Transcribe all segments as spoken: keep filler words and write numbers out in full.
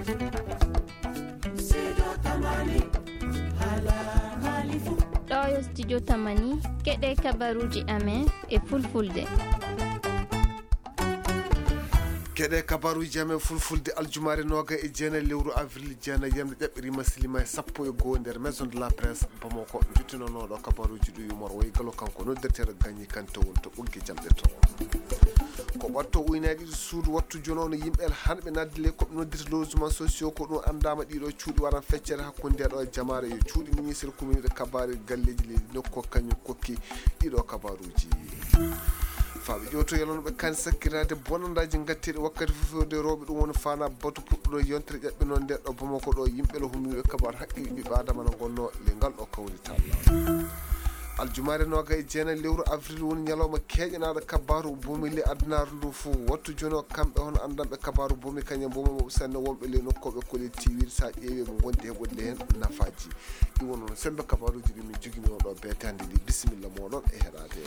Ɗo yo studio Tamani, keɗe kabaruji amen e fulfulde. Keɗe kabaruji amen fulfulde, aljumaare noga e jeenayi lewru avril jeenayi, yamde ƴaɓɓirima silima e sappo e goho nder Maison de la Presse Bamako. Jottinonoɗo kabaruji ɗi yumor woy galo kanko noddirteɗo Gagny Kanté woni to ɓoggi jamɗe to. Ko ɓatto uynaɗi ɗiɗi suudu wattu jono no yimɓe el hanɓe nadde le koɓe noddirta logement sociaux, ko ɗum andama ɗiɗo cuuɗi waran feccere hakkunde ɗo jamaare yo cuuɗi ministre communauté kabare galleji leydi nokko kañum kokki ɗiɗo kabaruji. Faaɓe ƴewto yalano ɓe kan sakkirade bonandaji gatteɗi wakkati fof fewde rewɓe ɗum woni fana batu puɗɗuɗo yontere ƴaɓɓe noon nde ɗo Bamako ɗo yimɓe le humniɓe kabar haqqille ɓiɓɓe adama no gonno le ngal ɗo kawrital. Aljumaare noga e jeenayi lewru avril woni ñalawma keeƴanaaɗo kabaaru boomi ley adunaaru ndu fof. Wattu jooni o kamɓe hono anndanɓe kabaaru boomi kañum boomi mawɓe sanne wonɓe ley nokku ɓe kolli tiiwiiɗe so a ƴeewi ɓe ngondi heɓude heen nafaaji. Ɗi woni noon semmbe kabaaruuji ɗi min njogini on ɗo beetaande ndi. Bisimilla mooɗon e heɗaade.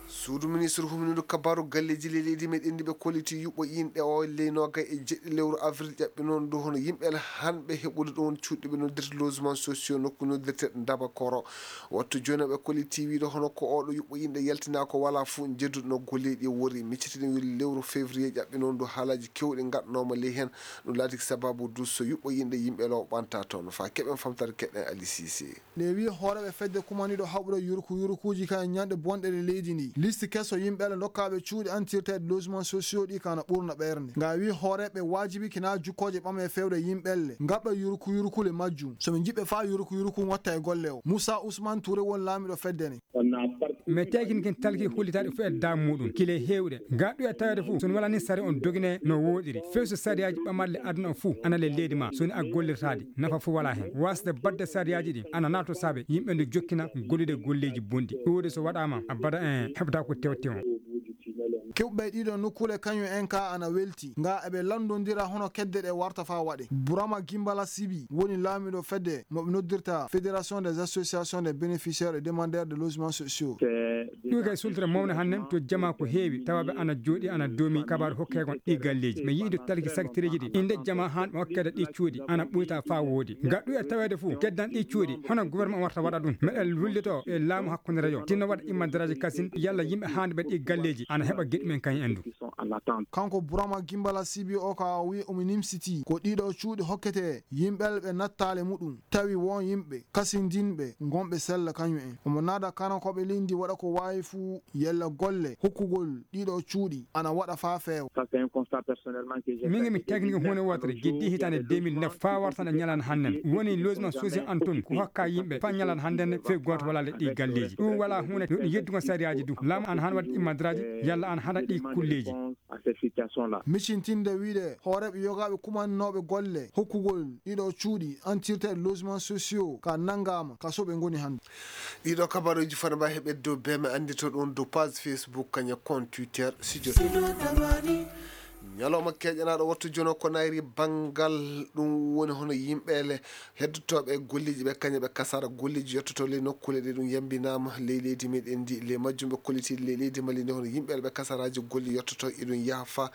Suudu ministre humnindu kabaaru galleeji ley leydi meɗen ndi ɓe kolliti yuɓɓo inɗe o ley noga e jeɗɗi lewru avril ƴaɓɓi noon ndu hono yimɓe hanɓe heɓude ɗon cuuɗi ɓe noddirta logement sociaux nokku noddirte Ndabakoro. Wattu jooni ɓe kolliti wiide hono ko oɗo yuɓɓo inɗe yaltina ko wala fof jedduɗo no golleeji ɗi wori. Miccitiɗen wiide lewru février ƴaɓɓi noon ndu haalaji kewɗi gaɗanoma ley heen. Ɗum laati sababu du so yuɓɓo inɗe yimɓe law ɓanta toon. Fa keɓen famtare keɗen Ali Cissé. Nde wi hooreeɓe fedde kumaniiɗo haɓude yurku yurkuuji kan e ñanɗe bonɗe ɗe leydi ndi. Liste keso yimɓe le dokkaaɓe cuuɗi antirteeɗe logement sociaux ɗi kana ɓurna ɓernde. Nga wi hooreeɓe waajibi kina jukkooje ɓame fewde yimɓe le. Ngaɓɓe yurku yurkule majjum. So ɓe njiɓɓe faa yurku yurku watta e golle o. Moussa Ousmane Touré won laamiɗo fedde ne. Mais tekin kin talki hullitaade fof e daamu muɗum. Kile heewɗe. Gaɗɗo e tawede fof. So wala ni sari on dogine no woɗiri. Few so sariyaji ɓamarle aduna o fof. Ana le leydi ma. So ni a gollirtaade. Nafa fof wala hen. Wasde badde sariyaji ɗi. Ana nato sabe. Yimɓe nde jokkina gollude golleji bonɗi. Ɗuuɗe so waɗama. Abada en heɓata ko tew tew. Kewɓe ɗiɗo nokkule kañum en ka ana welti. Nga eɓe landondira hono kedde ɗe warta fa waɗe. Burama Gimbala Sibi woni laamiɗo fedde mo ɓe noddirta Fédération des Associations des Bénéficiaires et Demandeurs de Logements Sociaux. Ɗum kay sultata mawne hannden to jama ko heewi tawaɓe ana jooɗi ana doomi kabaru hokkegol ɗi galleeji. Mi yiɗi talki sakitireeji ɗi. Inde jama haan ɓe hokkede ɗi cuuɗi ana ɓuyta fa woodi. Gaɗɗu e taweede fof keddan ɗi cuuɗi. Hono gouvernement warta waɗa ɗum. Meɗen lullito e laamu hakkunde rajo. Tinno waɗa imma daraaji kasin yalla yimɓe haanɓe ɗi galleeji ana heɓa geɗi men kañum en du. Kanko Burama Gimbala Sibi o ka o wi omo nimsiti ko ɗiɗo cuuɗi hokkete yimɓe ɓe nattaale muɗum tawi won yimɓe kasindinɓe gonɓe sella kañum en. Omo naada kano koɓe leydi waɗa ko waawi fuu yalla golle hokkugol ɗiɗo cuuɗi ana waɗa faa feewa. Min mi technique huunde wootere giddi hitaande deux mille neuf faa wartana ñalaande hannden woni logement social an toon ko hokka yimɓe faa ñalaande hannden fee gooto wala le ɗi galleeji. Ɗum wala huunde no ɗum yeddugol sariyaaji du. Laamu an hana waɗi immadraaji yalla an hana ɗi kulleeji. Micintinde wiide hooreeɓe yogaaɓe kumanooɓe golle hokkugol ɗiɗo cuuɗi antirteeɗe logement sociaux ka nanngaama ka soɓe ngoni hannde. Ɗiɗo kabaruuji fana mbawi heɓeede dow beme anndito ɗum dow page Facebook kaña compte Twitter studio. Ñalawma keeƴanaaɗo wattu jono ko nayri banngal ɗum woni hono yimɓe le heddotooɓe e golleeji ɓe kaña ɓe kasara golleeji yottoto ley nokkuule ɗe ɗum yambinaama ley leydi meɗen ndi ley majjum ɓe kolliti ley leydi mali ndi hono yimɓe le ɓe kasaraaji golle yottoto eɗum yaha fa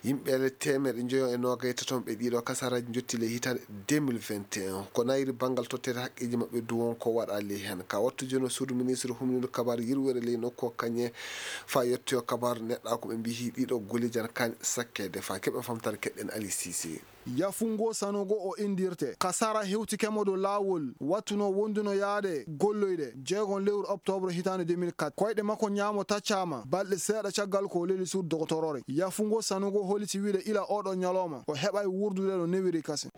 yimɓe le teemeɗe njoyo e noogay taton ɓe ɗiɗo kasaraaji jotti ley hitaande deux mille vingt et un ko nayri banngal tottede haqqeeji maɓɓe du won ko waɗa ley heen ka wattu jono suudu ministre humniiɗo kabaar yirwere ley nokku o kañe fa yettoyo kabaar neɗɗa ko ɓe mbihi ɗiɗo golleeji ana kaani sakkeede fa keɓen famtare keɗɗen Ali Cissé. Yafungo Sanogo o indirte. Kasara hewtikemo dow laawol wattuno wonduno yaade golloyde jeegon lewru octobre hitaande deux mille quatre. Koyɗe makko ñaamo taccaama balɗe seeɗa caggal ko o leli suudu dogotoroore. Yafungo Sanogo holiti wiide ila oɗo ñalawma o heɓay wurdude no newiri kasen.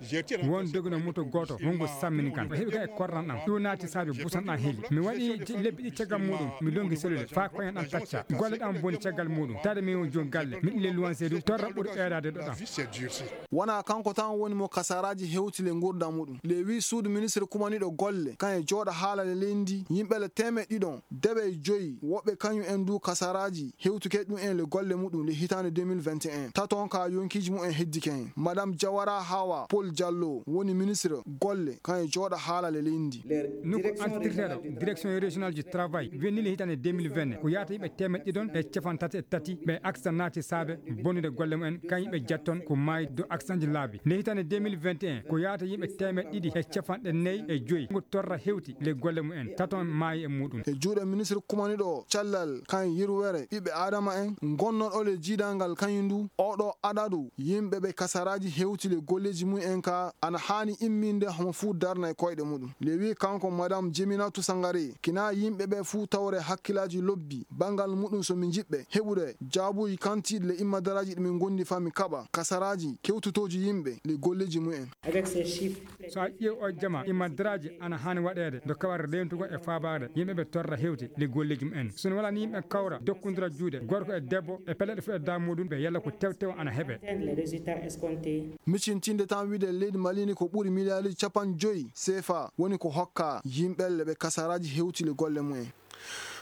Won dogino moto gooto hongo sammini kan. O heɓi ka e korran ɗam. Ɗum naati saabe busan ɗam heli. Mi waɗi lebbi ɗi caggal muɗum. Mi longi selule. Faa koyen ɗam tacca. Golle ɗam boni caggal muɗum. Taade mi on joom galle. Miɗo le luwanse du. Torra ɓuri ɓeeɗaade ɗo ɗam. Wona Kanko tan woni mo kasaraaji hewti le nguurndam muɗum. Le wii suudu ministre kumaniiɗo golle, kan e jooɗa haala le leydi, yimɓe le teemeɗɗe ɗiɗon, deɓe e joyi, woɓɓe kañum en du kasaraaji hewtuke ɗum en le golle muɗum le hitaande deux mille vingt et un. Taton ka yonkiiji mumen heddike hen. Madame Jawara Hawa Paul Diallo woni ministre golle, kan e jooɗa haala le leydi. Nokku antirteeɗo, direction régionale du travail, wenni le hitaande deux mille vingt, ko yaata yimɓe teemeɗɗe ɗiɗon e capanɗe tati e tati ɓe accident naati saabe bonnude golle mumen, kan yimɓe jetton ko maayi dow accident ji laabi. Nde hitaande deux mille vingt et un, ko yaata yimɓe teemeɗɗe ɗiɗi e capanɗe nayi e joyi ngo torra hewti le golle mumen, taton maayi e muɗum. E juuɗe ministre kumaniiɗo cellal kan yirwere ɓiɓɓe Aadama en, gonnoɗo le jiidangal kañum du, oɗo adadu yimɓe ɓe kasaraaji hewti le golleeji mumen ka ana haani imminde homo fuu darna e koyɗe muɗum. Le wii kanko Madame Jeminatu Sangare, kina yimɓe ɓe fuu tawre hakkilaaji lobbi, banngal muɗum so mi jiɓɓe heɓude jaabuuji kantiiɗi le immadaraaji ɗi min gondi fa mi kaɓa kasaraaji kewtotooji yimɓe le golleeji mumen. Avec ces chiffres, so a ƴeew o jama, immadaraaji ana haani waɗeede do kawar rentugol e faabaade yimɓe ɓe torra hewti le golleeji mumen. So no wala ni yimɓe kawra dokkundira juuɗe, gorko e debbo, e pellet fu e daa muɗum ɓe yalla ko tewtewo ana heɓe. Atteindre les résultats escomptés. Micintinde tan wiide leydi Mali ni ko ɓuri miliyaariji capanɗe joyi C F A woni ko hokka yimɓe le ɓe kasaraaji hewti le golle mumen.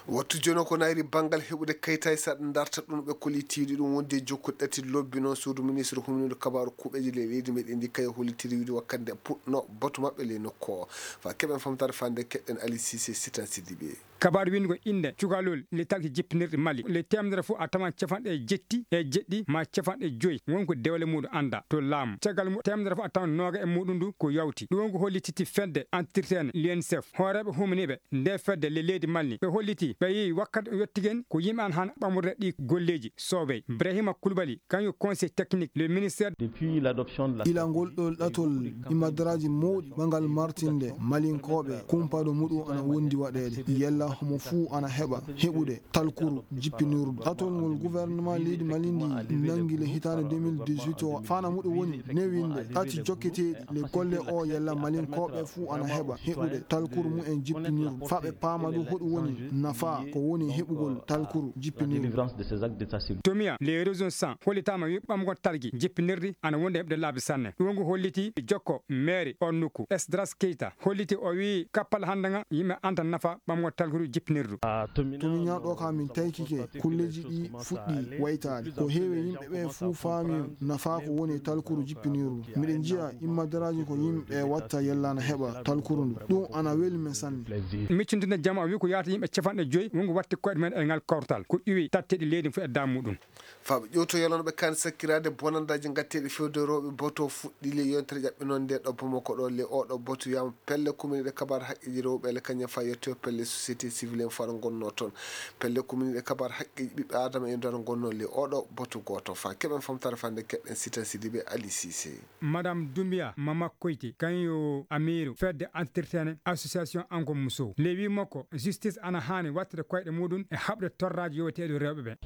Wattu jono ko nayri banngal heɓude kayitaaji saɗa darta ɗum ɓe kollitiiɗi ɗum wondi e jokkuɗe ɗati lobbi noon suudu ministre humniiɗo kabaaru kuuɓeeji le leydi meɗen ndi kayo hollitiri wiide wakkande puɗno batu maɓɓe le nokku o. Fa keɓen famtare fande keɗɗen Ali Cissé sitan Sidibé. Kabaaru winndugol innde cukalol le talki jippinirɗi Mali le teemedere fof a tawan capanɗe jetti e jeɗɗi ma capanɗe joyi won ko dewle muɗum annda to laamu. Caggal mu teemedere fof a tawan nooga e muɗum ndu ko yawti. Ɗum won ko hollititi fedde antirteene l'U N C F. Hooreeɓe humniiɓe nde fedde le leydi Mali ɓe holliti ɓe yehi wakkati o yettigen ko yimɓe an han ɓamurde ɗi golleeji soowey. Ibrahima Koulibaly kañum conseil technique le ministère. Depuis l'adoption de la Ilangol ɗo ɗatol imadaraaji mawɗi ɓangal martinde Malinkooɓe kumpaɗo muɗum ana wondi waɗeede. Yalla homo fuu ana heɓa heɓude talkuru jippinirdu. Ɗatol ngol gouvernement leydi Mali ndi nangi le hitaande deux mille dix-huit o, faana muɗum woni newinde ɗati jokketeeɗi le golle o yalla Malinkooɓe fuu ana heɓa heɓude talkuru mumen jippinirdu. Fa ɓe paama du hoɗum woni nafa ko woni heɓugol talkuru jippinirdu. Délivrance de ces actes d'état civil. Tomiya, les régions cent, hollitaama wi ɓamgol talgi jippinirdi ana wonde heɓde laabi sanne. Ɗum ngu holliti jokko maire on nokku. Esdras Keita holliti o wi kappal hannde nga yimɓe anta nafa ɓamgol talkuru jippinirdu. Ah, Tomiya. Tomiya ɗo ka min taykike kulleeji ɗi fuɗɗi waytaade. Ko heewi yimɓe ɓe fuu faami nafa ko woni talkuru jippinirdu. Miɗen njiya immadaraaji ko yimɓe watta yalla na heɓa talkuru ndu. Ɗum ana weli men sanne. Miccintude jama o wi ko yaata yimɓe capanɗe joyi wongo watti koyɗe men e ngal kawtal. Ko iwi tatteɗi leydi fof e daamu muɗum. Faaɓe ƴewto yalano ɓe kaani sakkiraade bonandaaji ngatteeɗi fewde rewɓe boto fuɗɗi le yontere ƴaɓɓe noon nde ɗo Bamako ɗo le oɗo boto wiyama pelle kuminiɗe kabar haqqeeji rewɓe le kañum fa yetto pelle société civile en fara gonno toon. Pelle kuminiɗe kabar haqqeeji ɓiɓɓe adama en dara gonno le oɗo boto gooto fa keɓen famtare fande keɗɗen Sita Sidibe Ali Cissé. Madame Doumbia Mama Koyti, kañum yo amiiru fedde antirtene association Anko Musow. Le wi makko, justice ana haani wattude koyɗe muɗum e haɓde torraaji yoweteeɗi rewɓe ɓe.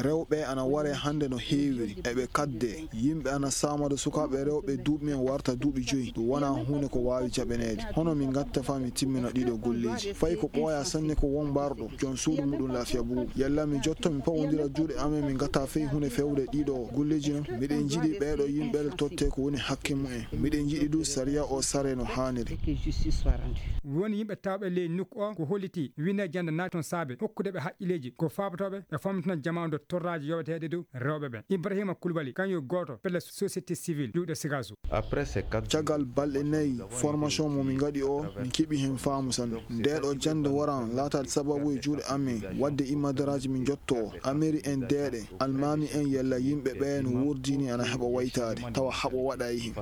Rewɓe ana ware hannde no heewiri, eɓe kadde, yimɓe ana saamada sukaaɓe rewɓe duuɓi men warta duuɓi joyi. Ɗum wonaa huunde ko waawi jaɓaneede. Hono mi ngatta faa mi timmina ɗiɗo golleeji. Fay ko ɓooyaa sanne ko won mbarɗo, joom suudu muɗum laafiya buubu. Yalla mi jotto mi pawondira juuɗe amen mi ngatta fay huunde fewde ɗiɗo golleeji non. Miɗen njiɗi ɓeeɗo yimɓe totte ko woni hakke mumen. Miɗen njiɗi du sariya o sare no haaniri. Woni yimɓe tawɓe ley nokku o ko holliti wine jannde naati toon saabe hokkude ɓe haqqilleeji ko faabatooɓe e famtina jamaanu torraaji yoweteeɗe dow rewɓe ɓe. Ibrahima Koulibaly, kañum yo gooto pelle société civile juuɗe Sigaso. Caggal balɗe nayi formation mo min ngaɗi o, min keɓi heen faamu sanne. Ndeeɗo jannde waran laataade sababu e juuɗe amen waɗde immadaraaji min njotto o. Ameri en deeɗe, almaami en yalla yimɓe ɓe no wurdini ana heɓa waytaade, tawa haɓo waɗa e heen.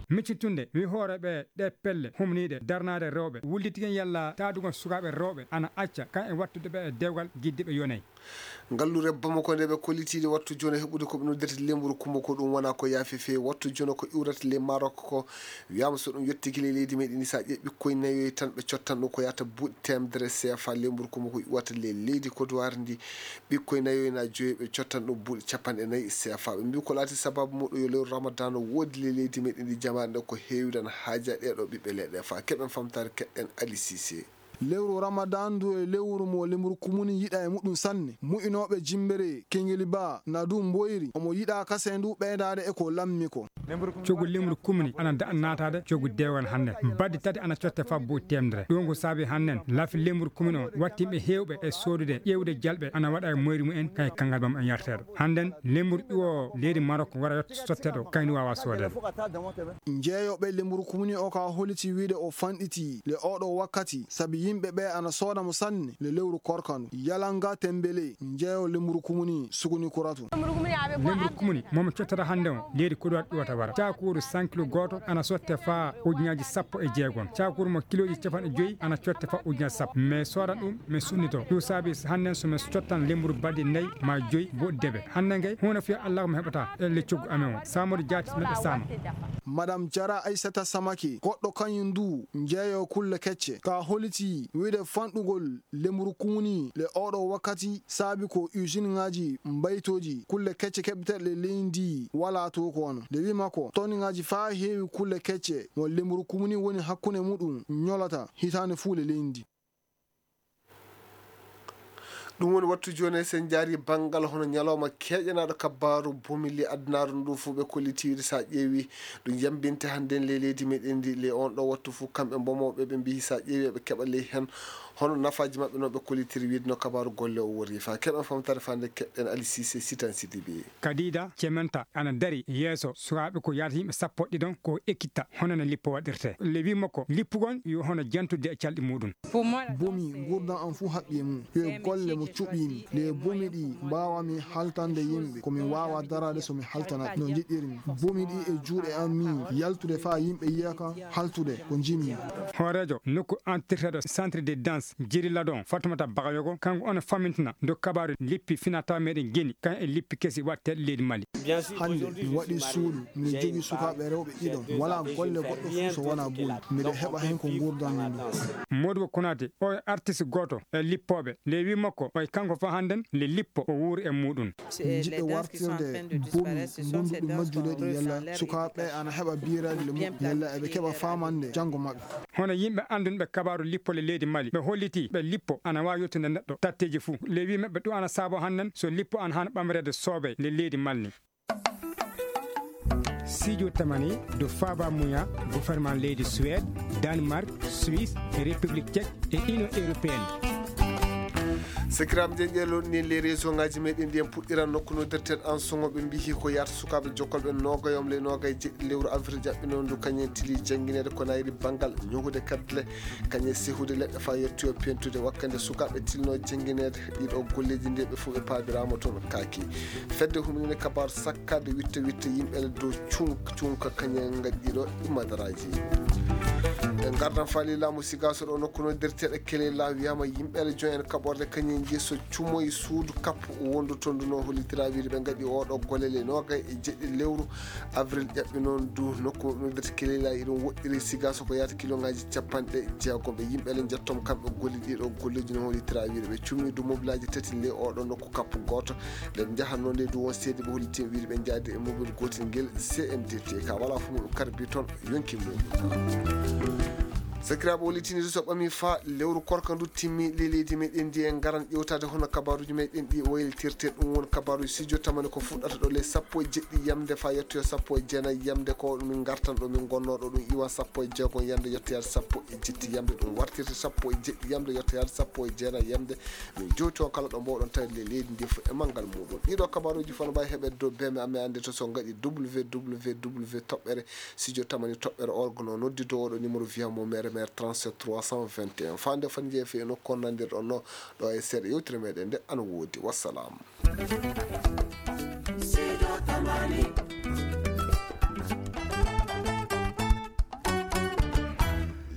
Miccitunde wi hooreeɓe ɗe pelle humniiɗe darnaade rewɓe, wullitigen yalla taadugol sukaaɓe rewɓe ana acca kan e wattude ɓe e dewgal giddiiɓe yonay. Ngallure Bamako nde ɓe kollitiiɗe wattu jooni heɓude ko ɓe noddirta lemburu kumba ko ɗum wona ko yaafi feewi. Wattu jooni ko iwrata ley Maroc ko wiyaama so ɗum yettiki ley leydi meɗen ni, so a ƴeewi ɓikkoy nayoy tan ɓe cottan ɗum ko yahata buuɗi teemedere C F A. Lemburu kumba ko iwata ley leydi Côte d'Ivoire ndi, ɓikkoy nayoy na joyi ɓe cottan ɗum buuɗi capanɗe nayi C F A. Ɓe mbi ko laati sababu muɗum yo lewru Ramadan woodi ley leydi meɗen ndi, jamaare nde ko heewi tan haaja ɗeɗo ɓiɓɓe leɗɗe fa keɓen famtaare keɗɗen Ali Cissé. Lewru Ramadan ndu e lewru mo lemburu kumuni yiɗa e muɗum sanne. Mu'inooɓe Jimbere, Kengeli Ba, na du mboyri, omo yiɗa kase ndu ɓeydaade e ko lammi ko. Coggu lemburu kumuni ana daɗa naataade coggu deewan hannden. Baddi tati ana cotte faa buuɗi teemedere. Ɗum ko saabi hannden laafi lemburu kumuni o watti ɓe heewɓe e soodude ƴeewde jalɓe ana waɗa e moyri mumen kay kanngal bam en yarteeɗo. Hannden lemburu ƴuwo leydi Marok wara yotto sotteɗo kayndi waawa soodeede. Njeeyooɓe lemburu kumuni o ka holiti wiide o fanɗiti le oɗo wakkati sabi yimɓe ɓe ana sooda mo sanne le lewru korkandu. Yalanga Tembele, njeeyo lemburu kumuni sukuni kuratu. Lemburu kumuni momo cottata hannde o leydi Kodowar ƴuwata wara. Caakuuru san kilo gooto ana sotte faa ujunnaaji sappo e jeegom. Caakuuru mo kilooji capanɗe joyi ana cotte faa ujunnaaji sappo. Mais soodan ɗum, mais sunnito. Ɗum saabi hannden so men cottan lemburu baddi nayi ma joyi mboɗi debe. Hannden kay, huunde fiya Allah ko mi heɓata e le coggu amen o. Saamori jaati meɗe saama. Madame Jara Aissata Samake, goɗɗo kañum ndu, njeeyo kulle kecce. Ka holiti wiide fanɗugol lemburu kumuni le oɗo wakkati saabi ko usine ŋaaji mbaytooji kulle kecce keɓeteeɗe leydi ndi walaa to ko wano. Nde wi makko, toniŋaaji faa heewi kulle kecce mo lemburu kumuni woni hakkunde muɗum ñolata hitaande fuu le leydi ndi. Ɗum woni wattu jooni, sen njaari banngal hono ñalawma keeƴanaaɗo kabbaaru bomi le adunaaru ndu fuu ɓe kolliti wiide so a ƴeewi ɗum yambinte hannden le leydi meɗen ndi le on ɗo wattu fuu kamɓe mbomooɓe ɓe mbiyi so a ƴeewi eɓe keɓa ley heen hono nafaaji maɓɓe no ɓe kollitiri wiide no kabaaru golle o wori fa keɓen famtare fande keɓɗen Ali Cissé Sitan Sidibé. Kadida Cementa ana dari yeeso sukaaɓe ko yaata yimɓe sappo ɗiɗon ko ekkitta hono no lippo waɗirte. Le wi makko lippugol yo hono jantude e calɗi muɗum. Bomi, nguurndam am fuu haɓɓi e mum. Yo e golle mo cuɓiimi. Nde bomi ɗi mbaawami haltande yimɓe, ko mi waawa daraade so mi haltanat no njiɗirmi. Bomi ɗi e juuɗe am mi yaltude faa yimɓe yiya ka haltude ko njimmi. Hooreejo nokku entirteeɗo Centre de Danse Jiri Ladon, Fatumata Bagayogo, kanko on fammintina ndu kabaaru lippi finaa-tawaa meɗen geni, kan e lippi kesi waɗteeɗi leydi Mali. Hannde mi waɗi suudu, miɗo jogii sukaaɓe rewɓe ɗiɗo. Walaa golle goɗɗo fuu so wonaa bomi. Miɗo heɓa heen ko nguurdanmi ndu. Modibo Konate, o e artiste gooto e lippooɓe. Le wi makko, o e kanko fof hannden le lippo o wuuri e muɗum. Jiɗɗo wartirde bomi ngonduɗi majjude ɗi yalla sukaaɓe ana heɓa biiraaɗi le muɗum yalla eɓe keɓa faamande janngo maɓɓe. Hono yimɓe anndunɓe kabaaru lippo le leydi Mali, ɓe hollitii ɓe lippo ana waawi yottude neɗɗo tatteeji fuu. Le wi maɓɓe ɗum ana saabo hannden so lippo ana haana ɓamreede soobee le leydi Mali. Sijo tamani do faaba muya gouvernement leydi Suède, Danemark, Suisse, République Tchèque e Union Européenne. Sakiraaɓe, nde ƴeeloɗen ni les réseau ngaji meɗen ndi en puɗɗiran nokku no derten an soŋo ɓe mbihi ko yaata sukaaɓe jokkolɓe noogayom le noogay jeɗɗi lewru avril jaɓɓino ndu kañen tili janngineede ko nayri banngal ñogude kaddle kañe sehude leɗɗe faa yettoyo pentude wakkande sukaaɓe tilno janngineede ɗiɗo golleeji nde ɓe fof ɓe paabiraama toon kaaki. Fedde humininde kabaaru sakkaade witta witta yimɓe le dow cunka cunka kañe ngaɗi ɗiɗo madaraaji. E ngardan faali laamu Sigaaso ɗo nokku no derteeɗo Keleyla wiyaama yimɓe le joñen kaɓorde kañe nji so cumoy suudu kappu wondu toon ndu no hollitira wiide ɓe ngaɗi oɗo golle le noogay e jeɗɗi lewru avril ƴaɓɓi noon du nokku no derteeɗo Keleyla iɗum woɗɗiri Sigaaso ko yaata kilongaaji capanɗe jeegom ɓe yimɓe le njettoom kamɓe golli ɗiɗo golleeji no hollitira wiide ɓe cumi du mobilaaji tati le oɗo nokku kappu gooto. Nden njahatnoo nde du won seede ɓe hollitii wiide ɓe njaadi e mobile gootel ngel C M D T ka wala fof mum karbi toon yonki mum. Sakiraaɓe, o litini so ɓami fa lewru korka ndu timmi le leydi meɗen ndi en ngaran ƴewtaade hono kabaaruuji meɗen ɗi waylitirte ɗum won kabaaruuji studio tamani ko fuɗɗata ɗo le sappo e jeɗɗi yamde fa yettoyo sappo e jeenayi yamde ko min ngartan ɗo min ngonnoo ɗo ɗum iwan sappo e jeegom yamde yettoyaade sappo e jetti yamde ɗum wartirte sappo e jeɗɗi yamde yettoyaade sappo e jeenayi yamde. Min jowti on kala ɗo mboɗon tawi le leydi ndi fof e manngal muɗum. Ɗiɗo kabaruuji fof no mbawi heɓede dow B M amen annde to so ngaɗi W W W toɓɓere studio tamani toɓɓere org no noddi dow oɗo numéro via mo mere mere trente-sept trois cent vingt et un. Fande foti jeefe e nokku on nandirɗon no ɗo e seeɗa yewtere meɗen nde ana woodi. Wassalam. Sido Tamani.